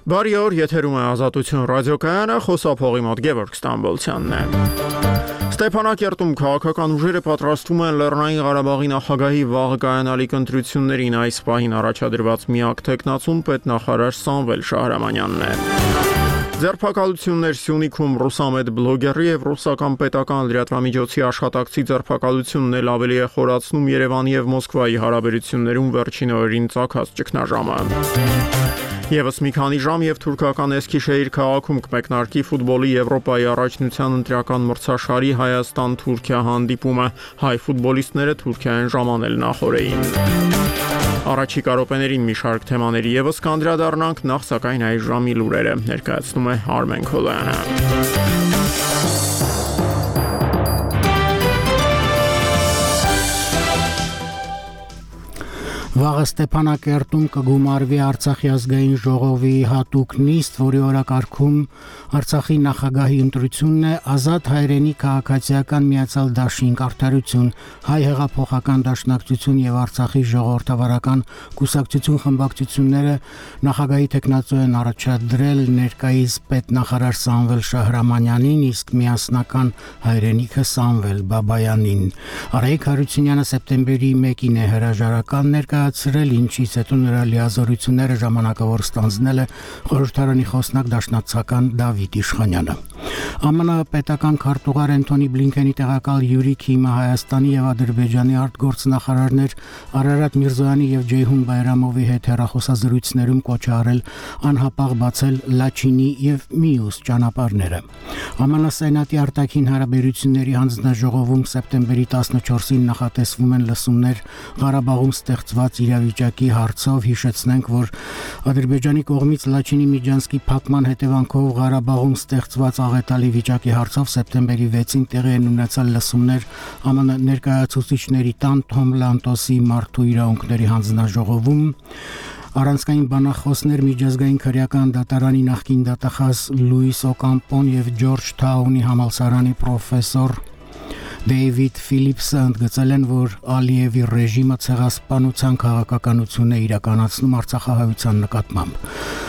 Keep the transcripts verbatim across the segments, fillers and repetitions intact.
Բարի օր, եթերում է Ազատություն ռադիոկայանը, խոսափողի մոտ Գևորգ Ստամբոլցյանն է։ Ստեփանակերտում քաղաքական ուժերը պատրաստվում են Լեռնային Ղարաբաղի նախագահի վաղ կայանալիք ընտրություններին, այս պահին առաջադրված միակ թեկնածուն պետնախարար Սամվել Շահրամանյանն է։ Ձերբակալություններ Սյունիքում ռուսամետ բլոգերի եւ ռուսական պետական լրատվամիջոցի աշխատակցի ձերբակալությունն էլ ավելի է խորացնում Երևանի եւ Մոսկվայի հարաբերություններում վերջին օրերին ծագած ճգնաժամը։ Եվս մի քանի ժամ եւ թուրքական Էսքիշեհիր քաղաքում կմեկնարկի ֆուտբոլի Եվրոպայի առաջնության ընտրական մրցաշարի Հայաստան-Թուրքիա հանդիպումը, հայ ֆուտբոլիստները Թուրքիայեն ժամանել նախօրեին։ Առաջիկա րոպեներին մի շարք թեմաների եւս կանդրադառնանք, նախ սակայն այս ժամի լուրերը ներկայացնում է Արմեն Քոլյանը։ Վաղը Ստեփանակերտում կգումարվի Արցախի ազգային ժողովի հատուկ նիստ, որի օրակարգում Արցախի նախագահի ընտրությունն է, Ազատ հայրենի քաղաքացիական միացյալ դաշինք, Արդարություն, Հայ հեղափոխական դաշնակցություն եւ Արցախի ժողովրդավարական կուսակցություն խմբակցությունները նախագահի թեկնածու են առաջադրել ներկայիս պետնախարար Սամվել Շահրամանյանին, իսկ միասնական հայրենիքը Սամվել Բաբայանին։ Արայիկ Հարությունյանը սեպտեմբերի մեկին է հրաժարական ներկայացրել, ինչից հետո նրա լիազորությունները ժամանակավոր ստանձնել է խորհրդարանի խոսնակ դաշնակցական Դավիթ Իշխանյանը։ ԱՄՆ պետական քարտուղար Անթոնի Բլինքենի տեղակալ Յուրի Քիմը Հայաստանի եւ Ադրբեջանի արտգործնախարարներ Արարատ Միրզոյանի եւ Ջեյհուն Բայրամովի հետ հեռախոսազրույցներում կոչ է արել անհապաղ բացել Լաչինի եւ մյուս ճանապարհները։ ԱՄՆ Սենատի արտաքին հարաբերությունների հանձնաժողովում սեպտեմբերի տասնչորսին նախատեսվում են լսումներ Ղարաբաղում ստեղծված իրավիճակի հարցով, հիշեցնենք, որ Ադրբեջանի կողմից Լաչինի Միջանսկի փակման հետևանքով Ղարաբաղում ստեղծված աղետալի վիճակի հարցով սեպտեմբերի վեցին տեղի են ունեցել լսումներ ԱՄՆ ներկայացուցիչների տան Թոմ Լանտոսի մարդու իրավունքների հանձնաժողովում, առանցքային բանախոսներ միջազգային քրեական դատարանի նախկին դատախազ Լուիս Օկամպոն եւ Ջորջ Թաունի համալսարանի պրոֆեսոր Դեյվիդ Ֆիլիպսը ընդգծել են, որ Ալիևի ռեժիմը ցեղասպանության քաղաքականություն է իրականացնում արցախահայության նկատմամբ։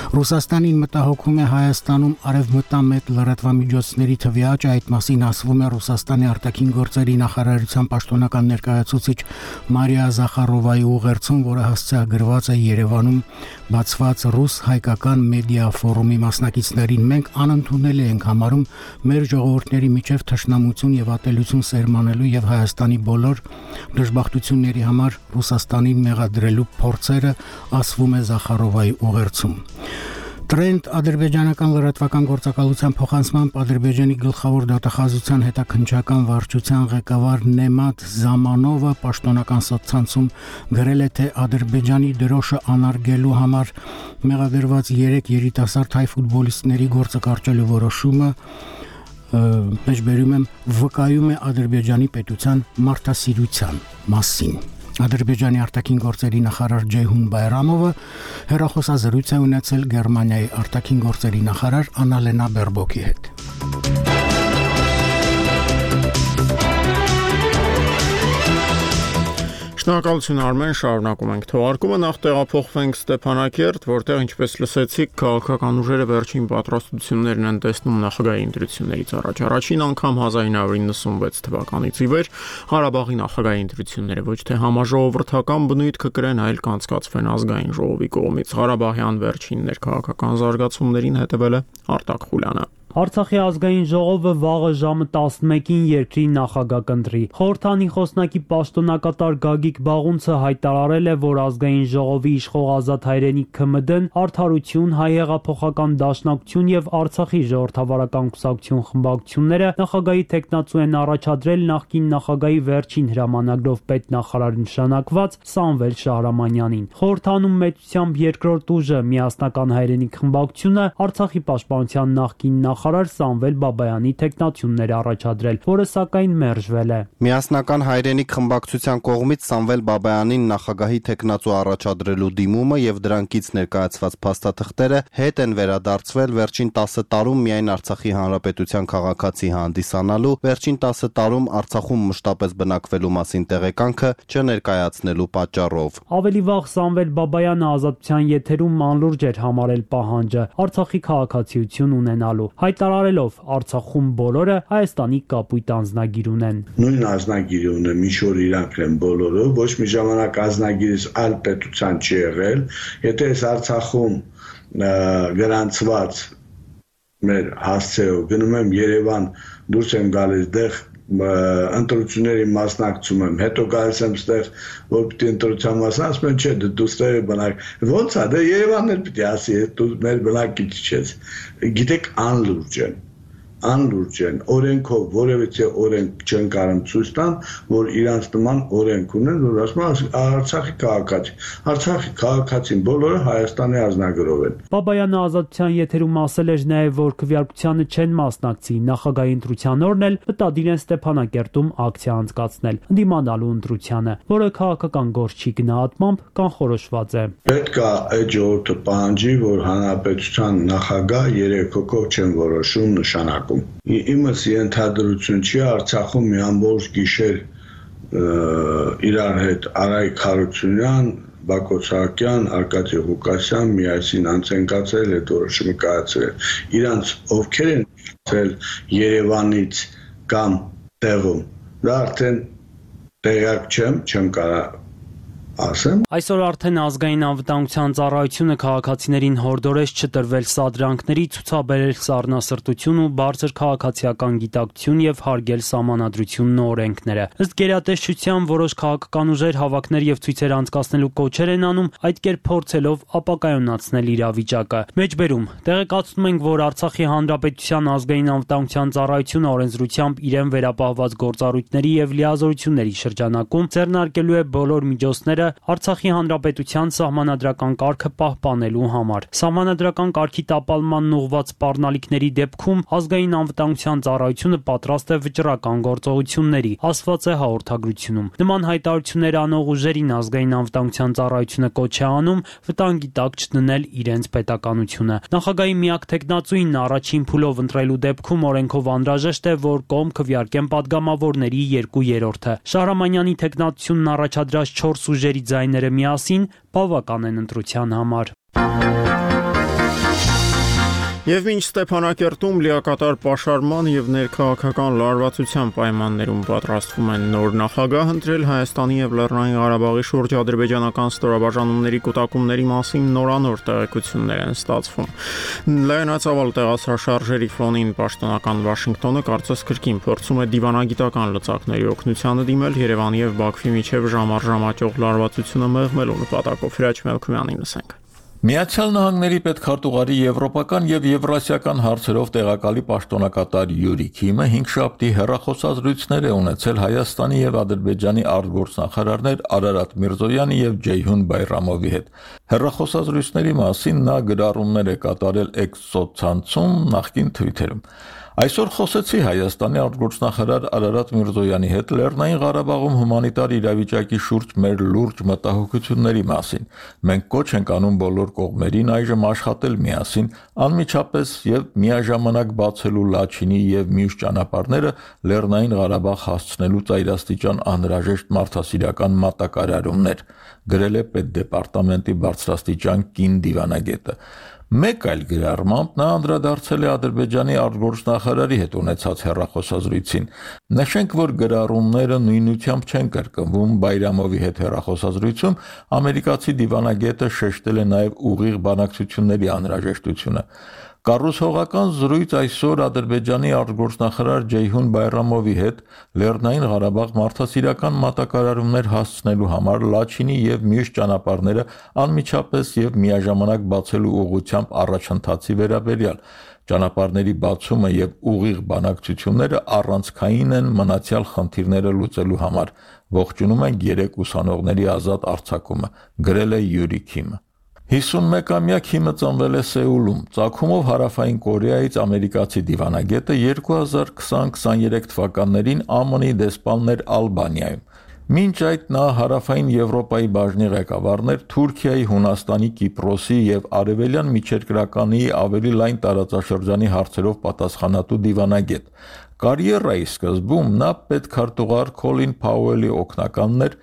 Ռուսաստանին մտահոգում է Հայաստանում արևմտամետ լրատվամիջոցների թվի աճ, այդ մասին ասվում է Ռուսաստանի արտաքին գործերի նախարարության պաշտոնական ներկայացուցիչ Մարիա Զախարովայի ուղերձում, որը հասցեագրված է Երևանում բացված ռուս-հայկական մեդիա ֆորումի մասնակիցներին։ Մենք անընդունելի ենք համարում մեր ժողովուրդների միջև թշնամություն եւ ատելություն սերմանելու եւ Հայաստանի բոլոր դժբախտությունների համար Ռուսաստանին մեղադրելու փորձերը, ասվում է Զախարովայի ուղերձում։ Տրենդ ադրբեջանական լրատվական գործակալության փոխանցմամբ Ադրբեջանի գլխավոր դատախազության հետաքննչական վարչության ղեկավար Նեմատ Զամանովը պաշտոնական սոցցանցում գրել է, թե Ադրբեջանի դրոշը անարգելու համար մեղադրված երեք երիտասարդ հայ ֆուտբոլիստների գործը կարճելու որոշումը մեջբերում եմ վկայում է Ադրբեջանի պետության մարդասիրության մասին։ Ադրբեջանի արտաքին գործերի նախարար Ջեյհուն Բայրամովը հեռախոսազրույց է ունեցել Գերմանիայի արտաքին գործերի նախարար Աննալենա Բերբոկի հետ։ Շնորհակալություն Արմեն, շարունակում ենք թողարկումը, նախ տեղափոխվենք Ստեփանակերտ, որտեղ ինչպես լսեցիք, քաղաքական ուժերը վերջին պատրաստություններն են տեսնում նախագահի ընտրություններից առաջ։ Առաջին անգամ հազար նույն հարյուր իննսունվեց թվականից ի վեր Ղարաբաղի նախագահի ընտրությունները ոչ թե համաժողովրդական բնույթ կկրեն, այլ կանցկացվեն ազգային ժողովի կողմից։ Ղարաբաղյան վերջին ներքաղաքական զարգացումներին հետևել է Արտակ Խուլյանը։ Արցախի ազգային ժողովը վաղը ժամը տասնմեկին երկրի նախագահ կընտրի։ Խորհրդանի խոսնակի պաշտոնակատար Գագիկ Բաղունցը հայտարարել է, որ ազգային ժողովի իշխող Ազատ հայրենի ՔՄԴ-ն, Արդարություն, Հայ հեղափոխական դաշնակցություն եւ Արցախի ժողովրդավարական կուսակցություն խմբակցությունները նախագահի թեկնածու են առաջադրել նախկին նախագահի վերջին հրամանագրով պետնախարար նշանակված Սամվել Շահրամանյանին։ Խորհրդանում մեծությամբ երկրորդ ուժը միասնական հայրենիք խմբակցությունը Արցախի պաշտպանության նախկին նախ նախարար Սամվել Բաբայանի թեկնածություններ առաջադրել, որը սակայն մերժվել է։ Միասնական հայրենիք խմբակցության կողմից Սամվել Բաբայանին նախագահի թեկնածու առաջադրելու դիմումը եւ դրանքից ներկայացված փաստաթղթերը հետ են վերադարձվել վերջին տասը տարում միայն Արցախի հանրապետության քաղաքացի հանդիսանալու, վերջին տասը տարում Արցախում մշտապես բնակվելու մասին տեղեկանքը չներկայացնելու պատճառով։ Ավելի վաղ Սամվել Բաբայանը ազատության եթերում անլուրջ էր համարել պահանջը Արցախի քաղաքացիություն ունենալու, հայտարարելով Արցախում բոլորը Հայաստանի կապույտ անձնագիր ունեն։ Նույն անձնագիրը ունեմ, ինչ որ իրանք են բոլորը, ոչ մի ժամանակ անձնագիրս այլ պետության չի եղել, եթե ես Արցախում գրանցված մեր հասցեով գնում եմ Երևան, դուրս եմ գալիս դեղ ընտրությունների մասնակցում եմ, հետո գալիս եմ ստեղ, որ պիտի ընտրության մասնակցում եմ, չէ, դու ստեղ բնակ, ոնց է, դե Երևանն էլ պիտի ասի, դու մեր բնակիչ չես, գիտեք անլուրջ են, անլուրջ են, օրենքով որևիցե օրենք չեն կարող ցույց տան, որ իրանց նման օրենք ունեն, որ ասում են Արցախի քաղաքացի, Արցախի քաղաքացին բոլորը Հայաստանի ազնագրով են։ Բաբայանը ազատության եթերում ասել էր նաև, որ քվեարկությանը չեն մասնակցի, նախագահի ընտրության օրն էլ մտադիր են Ստեփանակերտում ակցիա անցկացնել, ընդդիմանալու ընտրությանը, որը քաղաքական գործի գնահատմամբ կանխորոշված է։ Պետք է այդ ժողովուրդը պահանջի, որ հանրապետության նախագահ երեք հոգով չեն որոշում նշանակ։ Իմս ենթադրություն չի Արցախում մի ամբողջ գիշեր իրար հետ Արայք Հարությունյան, Բակոս Սահակյան, Արկադի Ղուկասյան միասին անցնկացել այդ որոշումը կայացրել։ Իրանց ովքեր են ցել Երևանից կամ տեղում, դա արդեն տեղյակ չեմ, չեմ կարող ասեմ։ Այսօր արդեն ազգային անվտանգության ծառայությունը քաղաքացիներին հորդորեց չտրվել սադրանքների, ցուցաբերել սառնասրտություն ու բարձր քաղաքացիական գիտակցություն եւ հարգել սահմանադրությունն ու օրենքները։ Ըստ գերատեսչության որոշ քաղաքական ուժեր հավաքներ եւ ցույցեր անցկացնելու կոչեր են անում, այդ կերպ փորձելով ապակայունացնել իրավիճակը։ Մեջբերում տեղեկացնում ենք, որ Արցախի հանրապետության ազգային անվտանգության ծառայությունը օրենսդրությամբ իրեն վերապահված գործառույթների եւ լիազորությունների շրջանակում ձեռնարկելու է բոլոր միջոցները Արցախի հանրապետության սահմանադրական կարգը պահպանելու համար։ Սահմանադրական կարգի տապալմանն ուղղված սպառնալիքների դեպքում ազգային անվտանգության ծառայությունը պատրաստ է վճռական գործողությունների, ասված է հաղորդագրությունում։ Նման հայտարարություններ անող ուժերին ազգային անվտանգության ծառայությունը կոչ է անում վտանգի տակ չդնել իրենց պետականությունը։ Նախագահի միակ թեկնածուին առաջին փուլով ընտրելու դեպքում օրենքով անհրաժեշտ է, որ կողմ քվեարկեն падգամավորների երկու երրորդը։ Շահրամանյանի թեկնածությունն առաջադրած չորս ուժերի ձայները միասին բավական են ընտրության համար։ Եվ մինչ Ստեփանակերտում լիակատար պաշարման եւ ներքաղաքական լարվածության պայմաններում պատրաստվում են նոր նախագահ ընտրել, Հայաստանի եւ Լեռնային Ղարաբաղի շուրջ ադրբեջանական ստորաբաժանումների կուտակումների մասին նորանոր տեղեկություններ են ստացվում։ Լայնածավալ տեղասրաշարժերի ֆոնին պաշտոնական Վաշինգտոնը կարծես կրկին փորձում է դիվանագիտական լծակների օգնությանը դիմել Երևանի եւ Բաքվի միջև ժամարժամաճող լարվածությունը մեղմելու նպատակով։ Հրաչ Մելքումյանին լսենք։ Միացյալ Նահանգների պետքարտուղարի եվրոպական եւ եվրասիական հարցերով տեղակալի պաշտոնակատար Յուրի Քիմը հինգշաբթի հեռախոսազրույցներ է ունեցել Հայաստանի եւ Ադրբեջանի արտգործնախարարներ Արարատ Միրզոյանի եւ Ջեյհուն Բայրամովի հետ։ Հեռախոսազրույցների մասին նա գրառումներ է կատարել X սոցցանցում, նախկին Twitter-ում։ Այսօր խոսեցի Հայաստանի արտգործնախարար Արարատ Միրզոյանի հետ Լեռնային Ղարաբաղում հումանիտար իրավիճակի շուրջ մեր լուրջ մտահոգությունների մասին։ Մենք կոչ ենք անում բոլոր կողմերին այժմ աշխատել միասին, անմիջապես եւ միաժամանակ բացելու Լաչինի եւ մյուս ճանապարհները Լեռնային Ղարաբաղ հասցնելու ծայրաստիճան անհրաժեշտ մարդասիրական մատակարարումներ, գրել է Պետդեպարտամենտի բարձրաստիճան կին դիվանագետը։ Մեկ այլ գրառմամբ նա անդրադարձել է Ադրբեջանի արտգործնախարարի հետ ունեցած հեռախոսազրույցին։ Նշենք, որ գրառումները նույնությամբ չեն կրկնվում Բայրամովի հետ հեռախոսազրույցում, ամերիկացի դիվանագետը շեշտել է նաև ուղիղ բանակցությունների անհրաժեշտությունը։ Կառուցողական զրույց այսօր Ադրբեջանի արտգործնախարար Ջեյհուն Բայրամովի հետ Լեռնային Ղարաբաղ մարդասիրական մատակարարումներ հասցնելու համար Լաչինի եւ մյուս ճանապարհները անմիջապես եւ միաժամանակ բացելու ուղղությամբ առաջընթացի վերաբերյալ ճանապարհների բացումը եւ ուղիղ բանակցությունները առանցքային են մնացյալ խնդիրները լուծելու համար։ Ողջունում ենք երեք ուսանողների ազատ արձակումը, գրել է Յուրի Քիմը։ հիսունմեկամյա Քիմը ծնվել է Սեուլում, ծագումով Հարավային Կորեայից ամերիկացի դիվանագետը երկու հազար քսան քսաներեք թվականներին Է Մ Ն-ի դեսպանն էր Ալբանիայում։ Մինչ այդ նա Հարավային Եվրոպայի բաժնի ղեկավարն էր Թուրքիայի, Հունաստանի, Կիպրոսի եւ Արևելյան միջերկրականի ավելի լայն տարածաշրջանի հարցերով պատասխանատու դիվանագետ։ Կարիերայի սկզբում նա պետքարտուղար Քոլին Փաուելի օգնականն էր,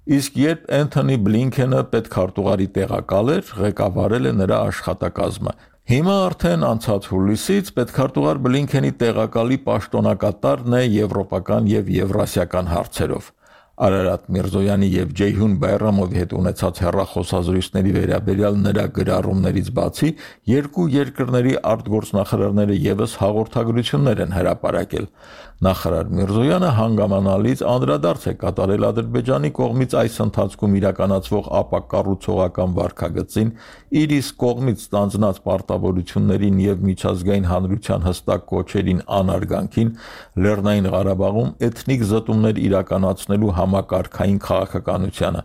իսկ երբ Էնթոնի Բլինքենը պետքարտուղարի տեղակալ էր, ղեկավարել է նրա աշխատակազմը։ Հիմա արդեն անցած հուլիսից պետքարտուղար Բլինքենի տեղակալի պաշտոնակատարն է եվրոպական եւ եվրասիական հարցերով։ Արարատ Միրզոյանի եւ Ջեյհուն Բայրամովի հետ ունեցած հեռախոսազրույցների վերաբերյալ նրա գրառումներից բացի երկու երկրների արտգործնախարարները եւս հաղորդագրություններ են հրապարակել։ Նախարար Միրզոյանը հանգամանալից անդրադարձ է կատարել Ադրբեջանի կողմից այս ընթացքում իրականացվող ապակառուցողական վարքագծին, իր իսկ կողմից ստանձնած պարտավորություններին եւ միջազգային հանրության հստակ կոչերին անարգանքին, Լեռնային Ղարաբաղում էթնիկ զտումներ իրականացնելու համակարգային քաղաքականությանը,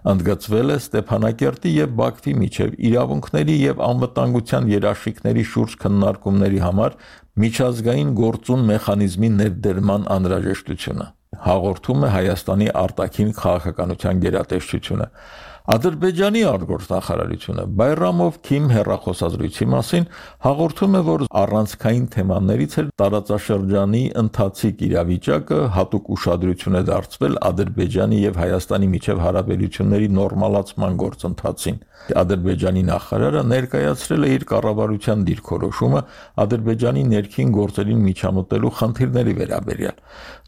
ընդգծվել է Ստեփանակերտի եւ Բաքվի միջև իրավունքների եւ անվտանգության երաշխիքների շուրջ քննարկումների համար միջազգային գործուն մեխանիզմի ներդերման անհրաժեշտությունը, հաղորդում է Հայաստանի արտաքին քաղաքականության գերատեսչությունը։ Ադրբեջանի արտգործնախարարությունը Բայրամով-Քիմ հեռախոսազրույցի մասին հաղորդում է, որ առանցքային թեմաներից էր տարածաշրջանի ընթացիկ իրավիճակը, հատուկ ուշադրություն է դարձվել Ադրբեջանի եւ Հայաստանի միջև հարաբերությունների նորմալացման գործընթացին։ Ադրբեջանի նախարարը ներկայացրել է իր կառավարության դիրքորոշումը Ադրբեջանի ներքին գործերին միջամտելու խնդիրների վերաբերյալ։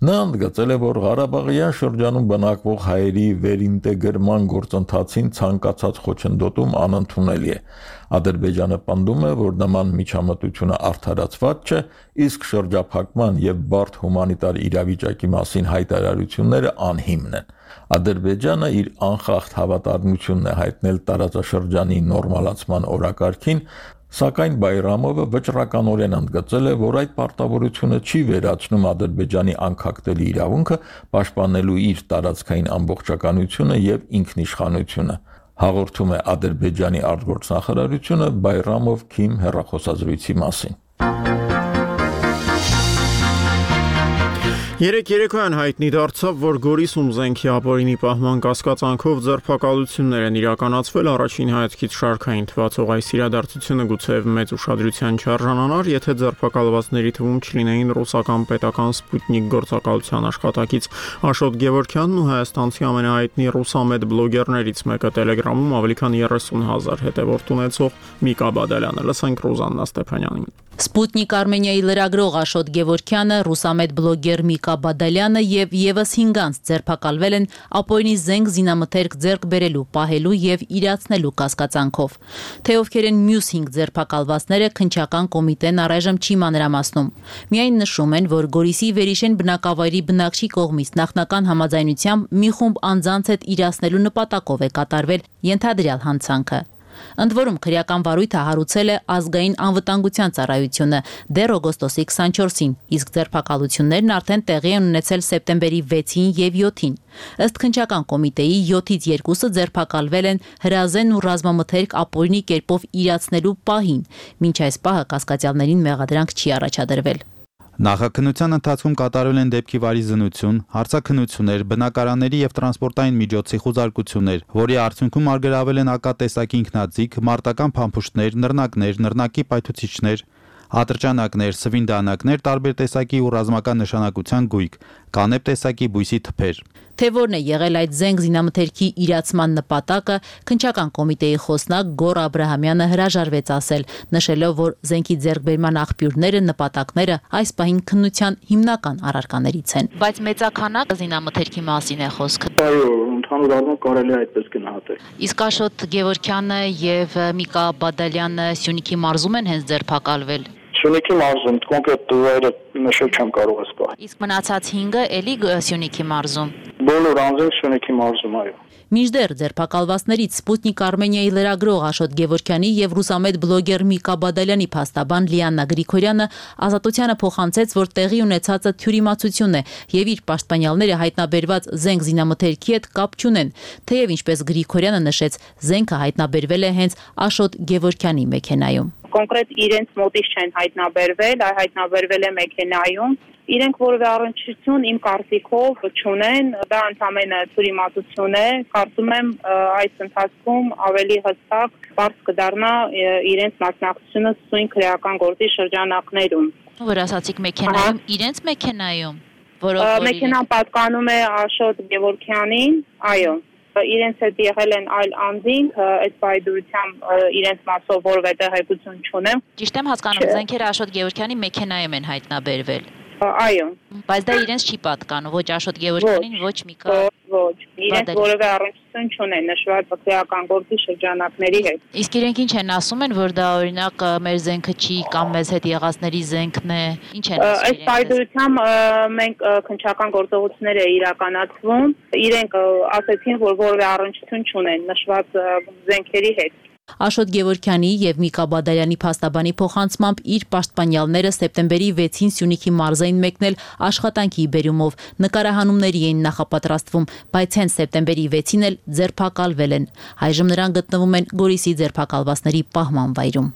Նա ընդգծել է, որ Ղարաբաղյան շրջանում բնակվող հայերի վերինտեգրման գործընթացին ցանկացած խոչընդոտում անընդունելի է։ Ադրբեջանը պնդում է, որ նման միջամտությունը արդարացված չէ, իսկ շրջափակման եւ բարդ հումանիտար իրավիճակի մասին հայտարարությունները անհիմն են։ Ադրբեջանը իր անխախտ հավատարմությունն է հայտնել տարածաշրջանի նորմալացման օրակարգին, սակայն Բայրամովը վճռականորեն ընդգծել է, որ այդ պարտավորությունը չի վերացնում Ադրբեջանի անկախտելի իրավունքը պաշտպանելու իր տարածքային ամբողջականությունը եւ ինքնիշխանությունը, հաղորդում է Ադրբեջանի արտգործնախարարությունը Բայրամով-Քիմ հեռախոսազրույցի մասին։ Երեք երեկոյան հայտնի դարձավ, որ Գորիսում զենքի ապօրինի պահման կասկածանքով ձերբակալություններ են իրականացվել, առաջին հայացքից շարքային թվացող այս իրադարձությունը գուցեև մեծ ուշադրության չարժանանար, եթե ձերբակալվածների թվում չլինեին ռուսական պետական Սպուտնիկ գործակալության աշխատակից Աշոտ Գևորգյանն ու հայաստանցի ամենահայտնի ռուսամետ բլոգերներից մեկը Տելեգրամում ավելի քան երեսուն հազար հետևորդ ունեցող Միկա Բադալյանը։ Լսենք Ռուզաննա Ստեփանյանին։ Սպուտնիկ Արմենիայի լրագրող Աշոտ Գևորգյանը, ռուսամետ բլոգեր Միկա Բադալյանը եւ եւս հինգ անց ձերբակալվել են ապօրինի զենք զինամթերք ձեռք բերելու, պահելու եւ իրացնելու կասկածանքով։ Թե ովքեր են մյուս հինգ ձերբակալվածները, քննչական կոմիտեն առայժմ չի մանրամասնում։ Միայն նշում են, որ Գորիսի Վերիշեն բնակավայրի բնակչի կողմից նախնական համաձայնությամբ մի խումբ անձանց հետ իրացնելու նպատակով է կատարվել ենթադրյալ հանցանքը։ Ընդ որում քրեական վարույթը հարուցել է ազգային անվտանգության ծառայությունը դեռ օգոստոսի քսանչորսին, իսկ ձերբակալություններն արդեն տեղի են ունեցել սեպտեմբերի վեցին եւ յոթին։ Ըստ քննչական կոմիտեի յոթից երկուսը ձերբակալվել են հրազեն ու ռազմամթերք ապօրինի կերպով իրացնելու պահին, մինչ այս պահը կասկածյալներին մեղադրանք չի առաջադրվել։ Նախաքննության ընթացքում կատարվել են դեպքի վարի զննություն, հարցաքննություններ, բնակարանների եւ տրանսպորտային միջոցի խուզարկություններ, որի արդյունքում արգելավել են ակատեսակի ինքնաձիգ, մարտական փամփուշտներ, նռնակներ, նռնակի պայթուցիչներ, ատրճանակներ, սվինդանակներ, տարբեր տեսակի ու ռազմական նշանակության գույք, կանեպ տեսակի բույսի թփեր։ Թե որն է եղել այդ զենք զինամթերքի իրացման նպատակը, քննչական կոմիտեի խոսնակ Գոր Աբրահամյանը հրաժարվեց ասել, նշելով, որ զենքի ձեռքբերման աղբյուրները, նպատակները այս պահին քննության հիմնական առարկաներից են։ Բայց մեծաքանակ զինամթերքի մասին է խոսքը։ Այո, ընդհանուր առմամբ կարելի է այդպես գնահատել։ Իսկ Աշոտ Գևորգյանը եւ Միկա Բադալյանը Սյունիքի մարզում են հենց ձերբակալվել։ Սյունիքի մարզում կոնկրետ դուրերը նշել չեմ կարող ասել։ Իսկ մնացած հինգը էլի Սյունիքի մարզում։ Բոլոր անձին Շունիքի մարզում, այո։ Մինչդեռ ձերբակալվածներից Սպուտնիկ Արմենիայի լրագրող Աշոտ Գևորգյանի եւ ռուսամետ բլոգեր Միկա Բադալյանի փաստաբան Լիաննա Գրիգորյանը ազատությանը փոխանցեց, որ տեղի ունեցածը թյուրիմացություն է եւ իր պաշտպանյալները հայտնաբերված զենք զինամթերքի հետ կապ չունեն, թեև ինչպես Գրիգորյանը նշեց, զենքը հայտնաբերվել է հենց Աշոտ Գևորգյանի մեքենայում։ Կոնկրետ իրենց մոտից չեն հայտնաբերվել, այլ հայտնաբերվել է մեքենայում։ Իրենք որևէ առնչություն իմ կարծիքով չունեն, դա ընդհանրապես թյուրիմացություն է, կարծում եմ այս ընթացքում ավելի հստակ բարձ կդառնա իրենց մասնակցությունը սույն քրեական գործի շրջանակներում։ Որ ասացիք մեքենայում, իրենց մեքենայում, որով մեքենան պատկանում է Աշոտ Գևորգյանին, այո։ Իրենց հետ եղել են այլ անձինք, այս բայդուրությամբ իրենց մասով որևէ տեղեկություն չունեմ։ Ճիշտ եմ հասկանում, զենքերը Աշոտ Գևորգյանի մեքենայում են հայտնաբերվել։ Այո։ Բայց դա իրենց չի պատկանում, ոչ Աշոտ Գևորգյանին, ոչ Միկա։ Ոչ, իրենց որևէ առնչություն չունեն նշված քրեական գործի շրջանակների հետ։ Իսկ իրենք ինչ են ասում են, որ դա օրինակ մեր զենքը չի կամ մեզ հետ եղածների զենքն է։ Ինչ են ասում իրենք։ Այս բայդուրությամբ մենք քննչական գործողություններ է իրականացվում։ Իրենք ասեցին, որ որևէ առնչություն չունեն նշված զենքերի հետ։ Աշոտ Գևորգյանի եւ Միկա Բադալյանի փաստաբանի փոխանցմամբ իր պաշտպանյալները սեպտեմբերի վեցին Սյունիքի մարզային մեկնել աշխատանքի բերումով նկարահանումների էին նախապատրաստվում, բայց հենց սեպտեմբերի վեցին էլ ձերբակալվել են։ Այժմ նրանք գտնվում են Գորիսի ձերբակալվածների պահման վայրում։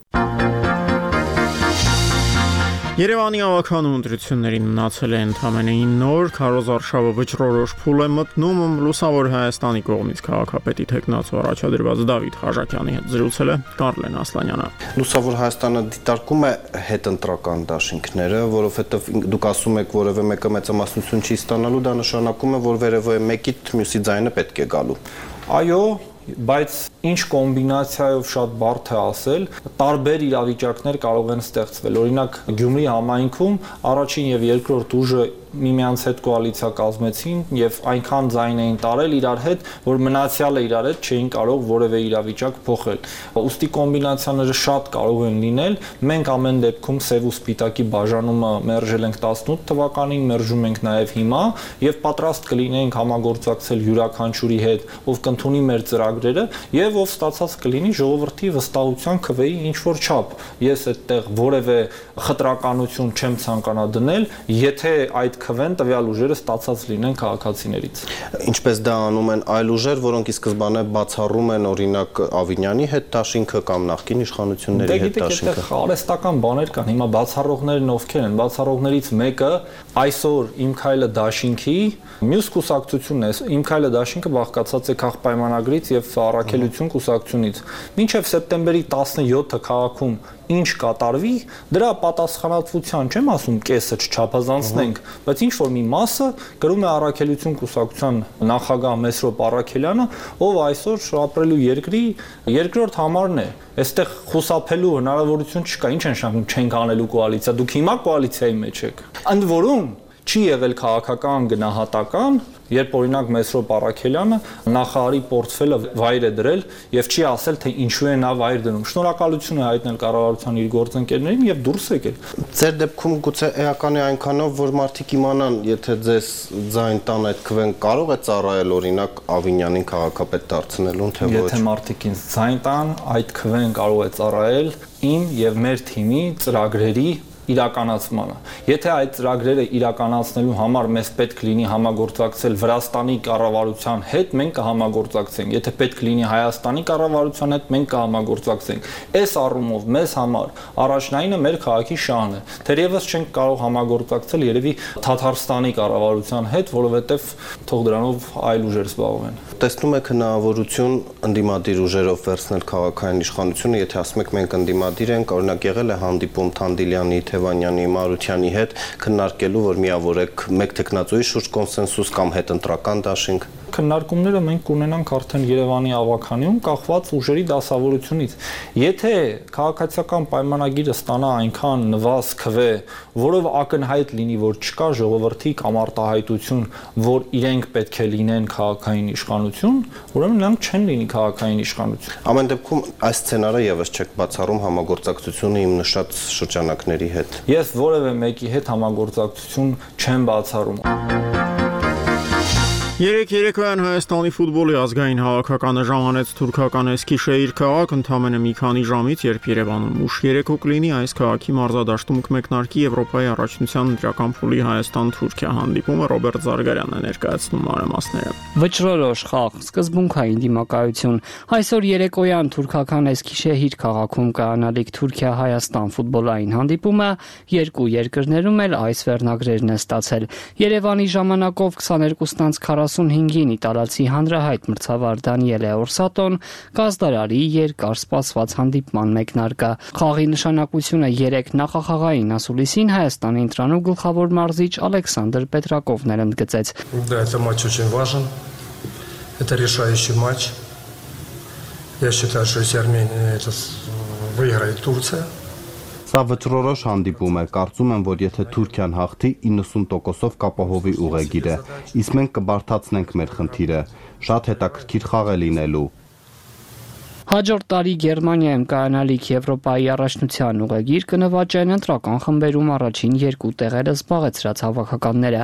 Երևանի ավականու ընտրություններին մնացել է ընդամենը ինը օր, քարոզարշավը վճռորոշ փուլ է մտնում, Լուսավոր Հայաստանի կողմից քաղաքապետի թեկնածու առաջադրված Դավիթ Խաչատյանի հետ զրուցել է Կարլեն Ասլանյանը։ Լուսավոր Հայաստանը դիտարկում է հետընտրական դաշինքները, որովհետև դուք ասում եք, որևէ մեկը մեծամասնություն չի ստանալու, դա նշանակում է, որ վերևը մեկի մյուսի ձայնը պետք է գալու։ Այո, բայց ինչ կոմբինացիայով շատ բարդ է ասել, տարբեր իրավիճակներ կարող են ստեղծվել։ Օրինակ Գյումրի համայնքում առաջին եւ երկրորդ ուժը միմյանց հետ կոալիցիա կազմեցին եւ այնքան ձայն էին տարել իրար հետ, որ մնացյալը իրար հետ չէին կարող որևէ իրավիճակ փոխել։ Ոստի կոմբինացիաները շատ կարող են լինել։ Մենք ամեն դեպքում սև ու սպիտակի բաժանումը մերժել ենք տասնութ թվականին, մերժում ենք նաեւ հիմա եւ պատրաստ կլինենք համագործակցել յուրաքանչյուրի հետ, ով կընդունի մեր ծրագրերը եւ ով ստացած կլինի ժողովրդի վստահության քվեի ինչ որ չափ։ Ես այդտեղ որևէ խտրականություն չեմ ցանկանա դնել, եթե այդ քվեն տվյալ ուժերը ստացած լինեն քաղաքացիներից։ Ինչպես դա անում են այլ ուժեր, որոնք ի սկզբանե բացառում են օրինակ Ավինյանի հետ դաշինքը կամ նախկին իշխանությունների հետ դաշինքը։ Դե արհեստական բաներ կան, հիմա բացառողներն ովքեր են, բացառողներից մեկը այսօր Իմ քայլը դաշինքի մյուս կուսակցությունն է, Իմ քայլը դաշինքը բաղկացած է քաղաքապայմանագրից եւ առաքելություն կուսակցությունից։ Մինչեւ սեպտեմբերի տասնյոթը քաղաքում ինչ կատարվի, դրա պատասխանատվության չեմ ասում կեսը չչափազանցնենք, բայց ինչ որ մի մասը գրում է առաքելություն կուսակցության նախագահ Մեսրոպ Առաքելյանը, ով այսօր ապրելու երկրի երկրորդ համարն է։ Այստեղ խուսափելու հնարավորություն չկա, ինչ են շարունակում չենք անելու կոալիցիա, դուք հիմա կոալիցիայի մեջ եք։ Ընդ որում չի եղել քաղաքական գնահատական, երբ օրինակ Մեսրոպ Առաքելյանը նախարարի պորտֆելը վայր է դրել եւ չի ասել թե ինչու է նա վայր դնում։ Շնորհակալություն է հայտնել կառավարության իր գործընկերներին եւ դուրս եկել։ Ձեր դեպքում գուցե էական է այնքանով, որ մարդիկ իմանան, եթե ձեզ ձայն տան այդ քվեն կարող է ծառայել օրինակ Ավինյանին քաղաքապետ դարձնելուն, թե ոչ։ Եթե մարդիկ ինձ ձայն տան, այդ քվեն կարող է ծառայել իմ եւ մեր թիմի ծրագրերի իրականացմանը։ Եթե այդ ծրագրերը իրականացնելու համար մեզ պետք լինի համագործակցել Վրաստանի կառավարության հետ, մենք կհամագործակցենք։ Եթե պետք լինի Հայաստանի կառավարության հետ, մենք կհամագործակցենք։ Այս առումով մեզ համար առաջնայինը մեր քաղաքի շահն է։ Թերևս չենք կարող համագործակցել երևի Թաթարստանի կառավարության հետ, որովհետև թող դրանով այլ ուժեր զբաղվեն։ Տեսնում եք հնարավորություն ընդդիմադիր ուժերով վերցնել քաղաքային իշխանությունը, եթե ասում եք մենք ընդդիմադիր ենք, օրինակ եղել է հանդիպում Թանդիլյանի, Թևանյանի, Մարությանի հետ քննարկելու, որ միավորեք մեկ տեխնացուի շուրջ կոնսենսուս կամ հետընտրական դաշինք։ Քննարկումները մենք կունենանք արդեն Երևանի ավականիում կախված ուժերի դասավորությունից։ Եթե քաղաքացիական պայմանագիրը ստանա այնքան նվազ քվե, որով ակնհայտ լինի, որ չկա ժողովրդի կամ արտահայտություն, որ իրենք պետք է լինեն քաղաքային իշխանություն, ուրեմն նրանք չեն լինի քաղաքային իշխանություն։ Ամեն դեպքում այս սցենարը եւս չեք բացառում համագործակցությունը իմ նշած շրջանակների հետ։ Ես որևէ մեկի հետ համագործակցություն չեմ բացառում։ Երեք երեկոյան Հայաստանի ֆուտբոլի ազգային հավաքականը ժամանեց թուրքական Էսքիշեհիր քաղաք ընդամենը մի քանի ժամից, երբ Երևանում ուշ երեկո կլինի այս քաղաքի մարզադաշտում կմեկնարկի Եվրոպայի առաջնության ընտրական փուլի Հայաստան-Թուրքիա հանդիպումը։ Ռոբերտ Զարգարյանն է ներկայացնում մանրամասները։ Վճռորոշ խաղ, սկզբունքային դիմակայություն։ Այսօր երեկոյան թուրքական Էսքիշեհիր քաղաքում կայանալիք Թուրքիա-Հայաստան ֆուտբոլային հանդիպումը երկու երկրներում էլ այս վերնագրերն է ստացել։ Երևանի ժամանակով քսաներկուսից քառասունհինգին իտալացի հանրահայտ մրցավար Դանիելե Օրսատոն կազդարարի երկար սպասված հանդիպման մեկնարկը։ Խաղի նշանակությունը երեք նախախաղային ասուլիսին Հայաստանի ընտրանու գլխավոր մարզիչ Ալեքսանդր Պետրակովն էր ընդգծեց։ Да, это матч очень важен. Это решающий матч. Я считаю, что если Армения это выиграет Турция. Սա վճռորոշ հանդիպում է, կարծում եմ, որ եթե Թուրքիան հաղթի, իննսուն տոկոսով կապահովի ուղեգիրը, իսկ մենք կբարդացնենք մեր խնդիրը, շատ հետաքրքիր խաղ է լինելու։ Հաջորդ տարի Գերմանիայում կայանալիք Եվրոպայի առաջնության ուղեգիր կնվաճեն ընտրական խմբերում առաջին երկու տեղերը զբաղեցրած հավաքականները։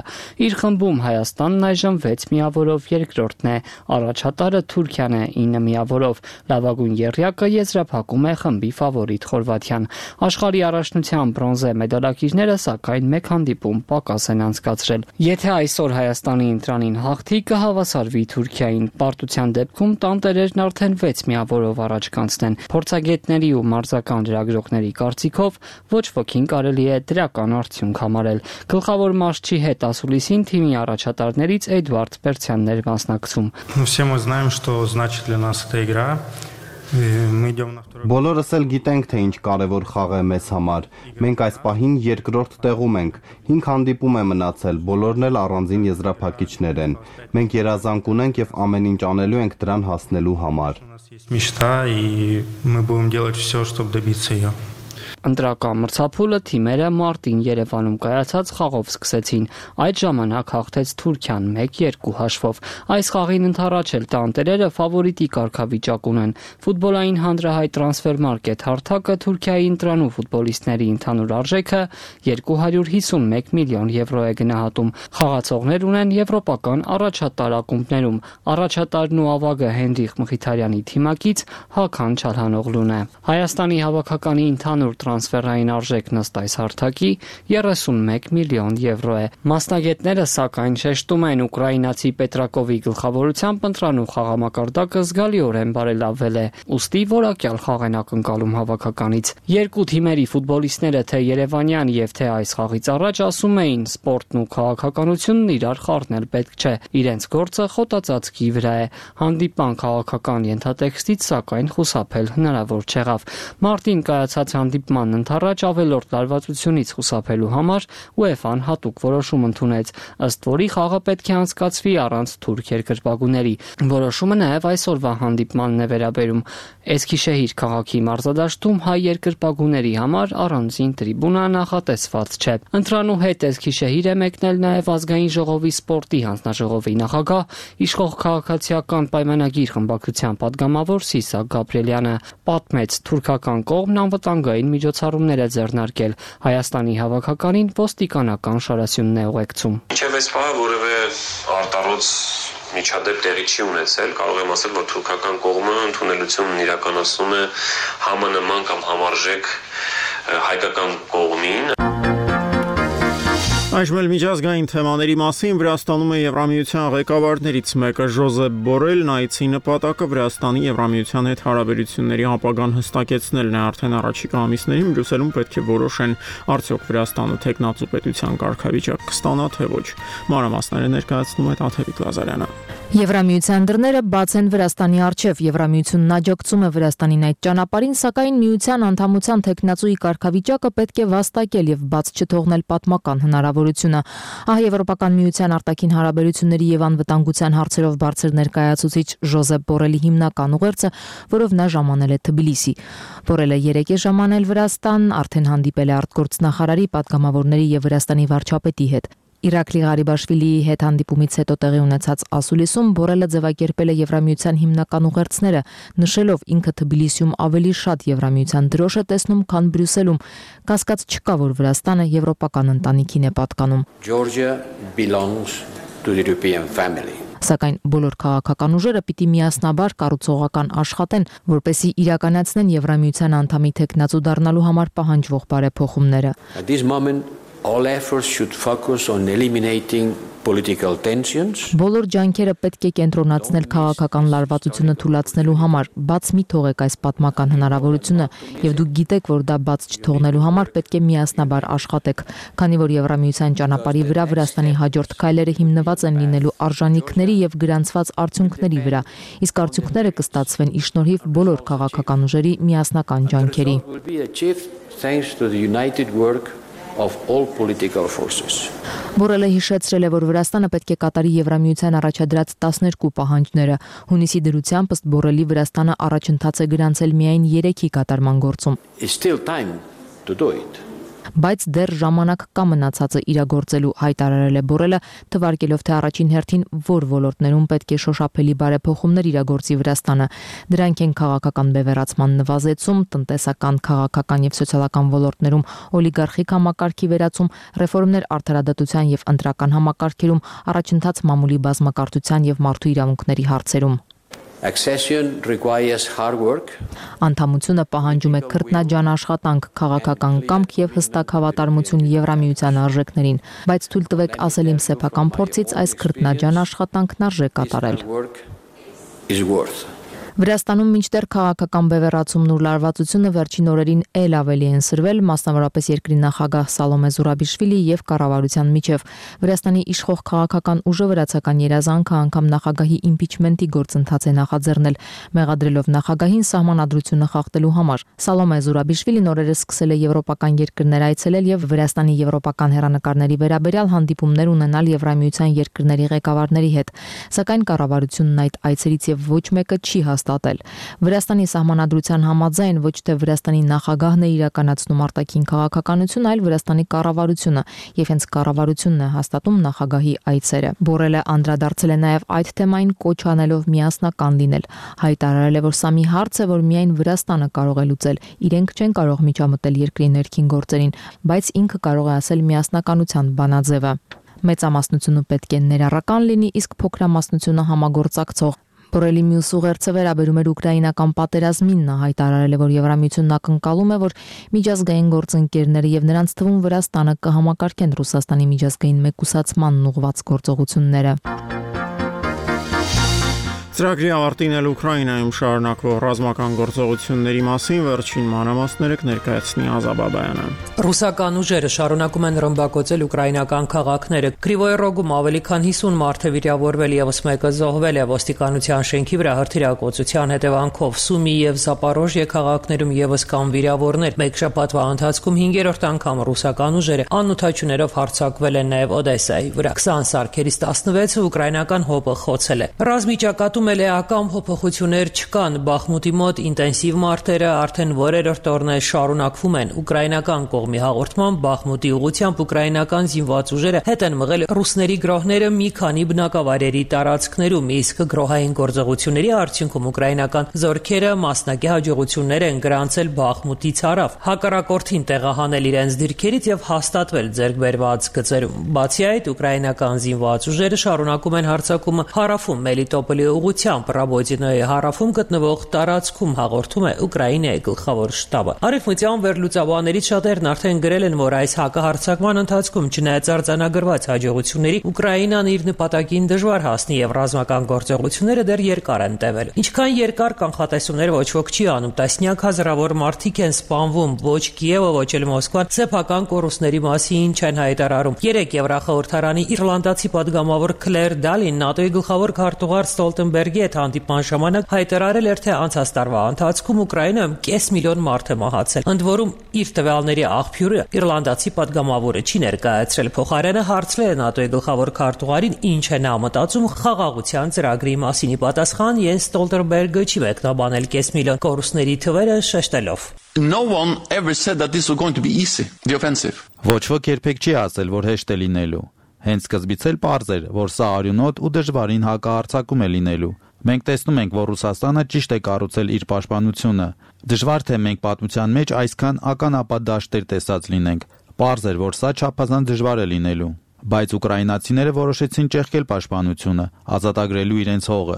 Իր խմբում Հայաստանն այժմ վեց միավորով երկրորդն է, առաջատարը Թուրքիան է ինը միավորով, լավագույն եռյակը եզրափակում է խմբի ֆավորիտ Խորվաթիան։ Աշխարհի առաջնության բրոնզե մեդալակիրները սակայն մեկ հանդիպում պակաս են անցկացրել։ Եթե այսօր Հայաստանի ընտրանին հաղթի, կհավասարվի Թուրքիային, պարտության դեպքում տանտերերն արդեն վեց միավորով առաջ կանցնեն։ Փորձագետների ու մարզական լրագրողների կարծիքով ոչ ոքին կարելի է դրական արդյունք համարել։ Գլխավոր մարզչի հետ ասուլիսին թիմի առաջատարներից Էդվարդ Պերցյանն էր մասնակցում։ Все мы знаем, что значит для нас эта игра. Բոլորս էլ գիտենք, թե ինչ կարևոր խաղ է մեզ համար։ Մենք այս պահին երկրորդ տեղում ենք։ հինգ հանդիպում է մնացել, բոլորն էլ առանձին եզրափակիչներ են։ Մենք երազանք ունենք եւ ամեն ինչ անելու ենք դրան հասնելու համար։ Мечта, и мы будем делать все, чтобы добиться ее. Ընտրական մրցափուլը թիմերը մարտին Երևանում կայացած խաղով սկսեցին։ Այդ ժամանակ հաղթեց Թուրքիան մեկ երկու հաշվով։ Այս խաղին ընդառաջ էլ տանտերերը ֆավորիտի կարգավիճակ ունեն։ Ֆուտբոլային հանրահայտ տրանսֆերմարկետ հարթակը Թուրքիայի ընտրանու ֆուտբոլիստների ընդհանուր արժեքը երկու հարյուր հիսունմեկ միլիոն եվրո է գնահատում։ Խաղացողներ ունեն եվրոպական առաջատար ակումբներում։ Առաջատարն ու ավագը Հենրիխ Մխիթարյանի թիմակից Հական Չալհանօղլուն է։ Հայաստանի հավաքականի ընդհանուր տրանսֆերային արժեքն ըստ այս հարթակի երեսունմեկ միլիոն եվրո է։ Մասնագետները սակայն շեշտում են ուկրաինացի Պետրակովի գլխավորությամբ ընտրանու խաղամակարդակը զգալիորեն բարելավվել է, ուստի որակյալ խաղ են ակնկալում հավաքականից։ Երկու թիմերի ֆուտբոլիստները թե երևանյան եւ թե այս խաղից առաջ ասում էին, սպորտն ու քաղաքականությունն իրար խառնել պետք չէ, իրենց գործը խոտածածկի վրա է։ Հանդիպան քաղաքական ենթատեքստից սակայն խուսափել հնարավոր չեղավ։ Մարտին կայացած հանդիպ ման ընթառաջ ավելորդ լարվածությունից խուսափելու համար ՈՒԵՖԱ-ն հատուկ որոշում ընդունեց, ըստ որի խաղը պետք է անցկացվի առանց թուրք երկրպագուների։ Որոշումը նաև այսօրվա հանդիպմանն է վերաբերում։ Էսքիշեհիր քաղաքի մարզադաշտում հայ երկրպագուների համար առանձին տրիբունա նախատեսված չէ։ Ընտրանու հետ Էսքիշեհիր է մեկնել նաև ազգային ժողովի սպորտի հանձնաժողովի նախագահ, իշխող քաղաքացիական պայմանագիր խմբակցության падգամավոր Սիսակ Գաբրիելյանը, պատմեց թուրքական կողմն անվտանգային միջոցառումներ է ձեռնարկել։ Հայաստանի հավաքականին ոստիկանական շարասյունն է ուղեկցում։ Մինչև այս պահը որևէ արտառոց միջադեպ տեղի չի ունեցել, կարող եմ ասել, որ թուրքական կողմը ընդունելությունն իրականացնում է համանման կամ համարժեք հայկական կողմին։ Այժմ էլ միջազգային թեմաների մասին Վրաստանում է Եվրամիության ղեկավարներից մեկը Ժոզեփ Բորելն, այցի նպատակը Վրաստանի Եվրամիության հետ հարաբերությունների ապագան հստակեցնելն է։ Արդեն առաջիկա ամիսներին Բրյուսելում պետք է որոշեն, արդյոք Վրաստանը թեկնածու պետության կարգավիճակ կստանա, թե ոչ։ Մանրամասները ներկայացնում է Տաթևիկ Լազարյանը։ Եվրամիության դռները բաց են Վրաստանի առջև։ Եվրամիությունն աջակցում է Վրաստանին այդ ճանապարհին, սակայն միության անդամության թեկնածուի կարգավիճակը պետք է վաստակել եւ բաց չթողնել պատմական հնարավորությունը։ Ահա Եվրոպական միության արտաքին հարաբերությունների եւ անվտանգության հարցերով բարձր ներկայացուցիչ Ժոզեփ Բորելի հիմնական ուղերձը, որով նա ժամանել է Թբիլիսի։ Բորելը երեկ է ժամանել Վրաստան, արդեն հանդիպել է արտգործնախարարի, падգամավորների եւ Վրաստանի վարչապետի հետ։ Իրաքլի Ղարիբաշվիլիի հետ հանդիպումից հետո տեղի ունեցած ասուլիսում Բորելը ձևակերպել է Եվրամիության հիմնական ուղերձները, նշելով ինքը Թբիլիսիում ավելի շատ Եվրամիության դրոշ է տեսնում, քան Բրյուսելում։ Կասկած չկա, որ Վրաստանը եվրոպական ընտանիքին է պատկանում։ Georgia belongs to the European family. Սակայն բոլոր քաղաքական ուժերը պիտի միասնաբար կառուցողական աշխատեն, որպեսզի իրականացնեն Եվրամիության անդամի թեկնածու դառնալու համար պահանջվող բարեփոխումները։ At this moment, all efforts should focus on eliminating political tensions. Բոլոր ջանքերը պետք է կենտրոնացնել քաղաքական լարվածությունը թույլատնելու համար, բաց մի թողեք այս պատմական հնարավորությունը, եւ դուք գիտեք, որ դա բաց չթողնելու համար պետք է միասնաբար աշխատեք, քանի որ Եվրամիության ճանապարհի վրա Վրաստանի հաջորդ քայլերը հիմնված են լինելու արժանինքների եւ գրանցված արդյունքների վրա, իսկ արդյունքները կստացվեն ի շնորհիվ բոլոր քաղաքական ուժերի միասնական ջանքերի։ Thanks to the united work of all political forces. Բորելը հիշեցրել է, որ Վրաստանը պետք է կատարի Եվրամիության առաջադրած տասներկու պահանջները։ Հունիսի դրությամբ ըստ Բորելի Վրաստանը առաջընթաց է գրանցել միայն երեքի կատարման գործում։ It's still time to do it. Բայց դեռ ժամանակ կա մնացածը իրագործելու, հայտարարել է Բորելը, թվարկելով թե առաջին հերթին որ ոլորտներում պետք է շոշափելի բարեփոխումներ իրագործի Վրաստանը։ Դրանք են քաղաքական բևեռացման նվազեցում, տնտեսական, քաղաքական եւ սոցիալական ոլորտներում օլիգարխիկ համակարգի վերացում, ռեֆորմներ արդարադատության եւ ընտրական համակարգերում, առաջընթաց մամուլի բազմակարծության եւ մարդու իրավունքների հարցերում։ Accession requires hard work. Անդամությունը պահանջում է քրտնաջան աշխատանք, քաղաքական կամք եւ հստակ հավատարմություն Եվրամիության արժեքներին, բայց թույլ տվեք ասել իմ սեփական փորձից այս քրտնաջան աշխատանքն արժե կատարել։ Վրաստանում մինչդեռ քաղաքական բևեռացումն ու լարվածությունը վերջին օրերին ել ավելի են սրվել, մասնավորապես երկրի նախագահ Սալոմե Զուրաբիշվիլի եւ կառավարության միջև։ Վրաստանի իշխող քաղաքական ուժը վրացական երազանքը անգամ նախագահի իմպիչմենտի գործընթաց է նախաձեռնել, մեղադրելով նախագահին սահմանադրությունը խախտելու համար։ Սալոմե Զուրաբիշվիլին օրերս սկսել է եվրոպական երկրներ այցելել եւ Վրաստանի եվրոպական հերանեկարների վերաբերյալ հանդիպումներ ունենալ Եվրամիության երկրների ղեկավարների հետ, սակայն կառավարությունն այդ այցերից եւ ոչ մեկը չի հաստատել։ Վրաստանի սահմանադրության համաձայն ոչ թե Վրաստանի նախագահն է իրականացնում արտաքին քաղաքականություն, այլ Վրաստանի կառավարությունը, եւ հենց կառավարությունն է հաստատում նախագահի այցերը։ Բորելը անդրադարձել է նաեւ այդ թեմային, կոչ անելով միասնական լինել, հայտարարել է, որ սա մի հարց է, որ միայն Վրաստանը կարող է լուծել, իրենք չեն կարող միջամտել երկրի ներքին գործերին, բայց ինքը կարող է ասել միասնականության բանաձևը։ Մեծամասնությունը պետք է ներառական լինի, իսկ փոքրամասնությունը համագործակցող։ Բորելի մյուս ուղերձը վերաբերում էր ուկրաինական պատերազմին, նա հայտարարել է, որ Եվրամիությունն ակնկալում է, որ միջազգային գործընկերները եւ նրանց թվում Վրաստանը կհամակարգեն Ռուսաստանի միջազգային մեկուսացմանն ուղղված գործողությունները։ Ծրագրի ավարտին էլ Ուկրաինայում շարունակվող ռազմական գործողությունների մասին վերջին մանրամասները կներկայացնի Ազաբաբայանը։ Ռուսական ուժերը շարունակում են ռմբակոծել ուկրաինական քաղաքները։ Կրիվոյ Ռոգում ավելի քան հիսուն մարդ է վիրավորվել, եւս մեկը զոհվել է ոստիկանության շենքի վրա հրթիռակոծության հետևանքով։ Սումի եւ Զապորոժիե քաղաքներում եւս կան վիրավորներ։ Մեկ շաբաթվա ընթացքում հինգերորդ անգամ ռուսական ուժերը անօթաչուներով հարձակվել են նաեւ Օդեսայի վրա։ քսան սարքերից տասնվեցը ուկրաինական հոպը խոցել է։ Ռազմի ճակատում էական փոփոխություններ չկան, Բախմուտի մոտ ինտենսիվ մարտերը արդեն որերորդ օրն է շարունակվում են։ Ուկրաինական կողմի հաղորդմամբ Բախմուտի ուղղությամբ ուկրաինական զինված ուժերը հետ են մղել ռուսների գրոհները մի քանի բնակավայրերի տարածքներում, իսկ գրոհային գործողությունների արդյունքում ուկրաինական զորքերը մասնակի հաջողություններ են գրանցել Բախմուտից հարավ, հակառակորդին տեղահանել իրենց դիրքերից եւ հաստատվել ձեռքբերված գծերում։ Բացի այդ, ուկրաինական զինված ուժերը շարունակում են հարձակումը հարավում Մելիտոպոլի ուղղությամբ Ռաբոդինոյի հարավում գտնվող տարածքում, հաղորդում է Ուկրաինայի գլխավոր շտաբը։ Արևմտյան վերլուծաբաններից շատերն արդեն գրել են, որ այս հակահարձակման ընթացքում չնայած արձանագրված հաջողությունների, Ուկրաինան իր նպատակին դժվար հասնի եւ ռազմական գործողությունները դեռ երկար են տևել։ Ինչքան երկար կանխատեսումներ ոչ ոք չի անում, տասնյակ հազարավոր մարդիկ են սպանվում, ոչ Կիևը, ոչ էլ Մոսկվան սեփական կորուստների մասին չեն հայտարարում։ Երեք Եվրախորհրդարանի իռլանդացի падգամավոր Քլեր Դալին ՆԱՏՕ-ի գլխավոր քարտուղար Ստոլտենբերգի հետ հանդիպման ժամանակ հայտարարել էր, թե անցած տարվա ընթացքում Ուկրաինայում կես միլիոն մարդ է մահացել։ Ընդ որում, իր տվյալների աղբյուրը իռլանդացի падգամավորը չի ներկայացրել։ Փոխարենը հարցրել է ՆԱՏՕ-ի գլխավոր քարտուղարին, ինչ է նա մտածում խաղաղության ծրագրի մասին։ Ի պատասխան Յենս Ստոլտենբերգը չի մեկնաբանել կես միլիոն կորուստների թվերը, շեշտելով. No one ever said that this was going to be easy, the offensive. Ոչ ոք երբեք չի ասել, որ հեշտ է լինելու։ Հենց սկզբից էլ պարզ էր, որ սա արյունոտ ու դժվարին հակահարձակում է լինելու։ Մենք տեսնում ենք, որ Ռուսաստանը ճիշտ է կառուցել իր պաշտպանությունը։ Դժվար թե մենք պատմության մեջ այսքան ականապատ դաշտեր տեսած լինենք։ Պարզ էր, որ սա չափազանց դժվար է լինելու։ Բայց ուկրաինացիները որոշեցին ճեղքել պաշտպանությունը, ազատագրելու իրենց հողը,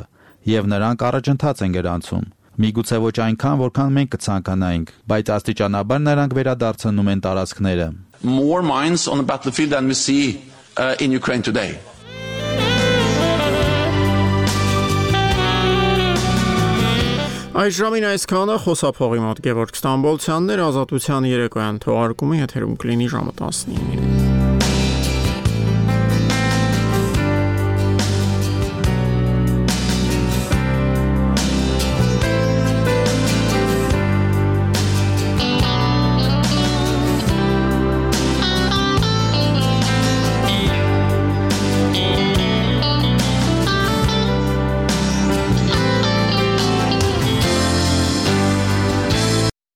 եւ նրանք առաջընթաց են գրանցում։ Միգուցե ոչ այնքան, որքան մենք կցանկանայինք, բայց աստիճանաբար նրանք վերադարձնում են տարածքները։ More mines on the battlefield than we see uh, in Ukraine today. Այս ժամին այսքանը խոսափողի մոտ Գևորգ Ստամբոլցյանն էր, Ազատության երեկոյան թողարկումը եթերում կլինի ժամը տասնինին։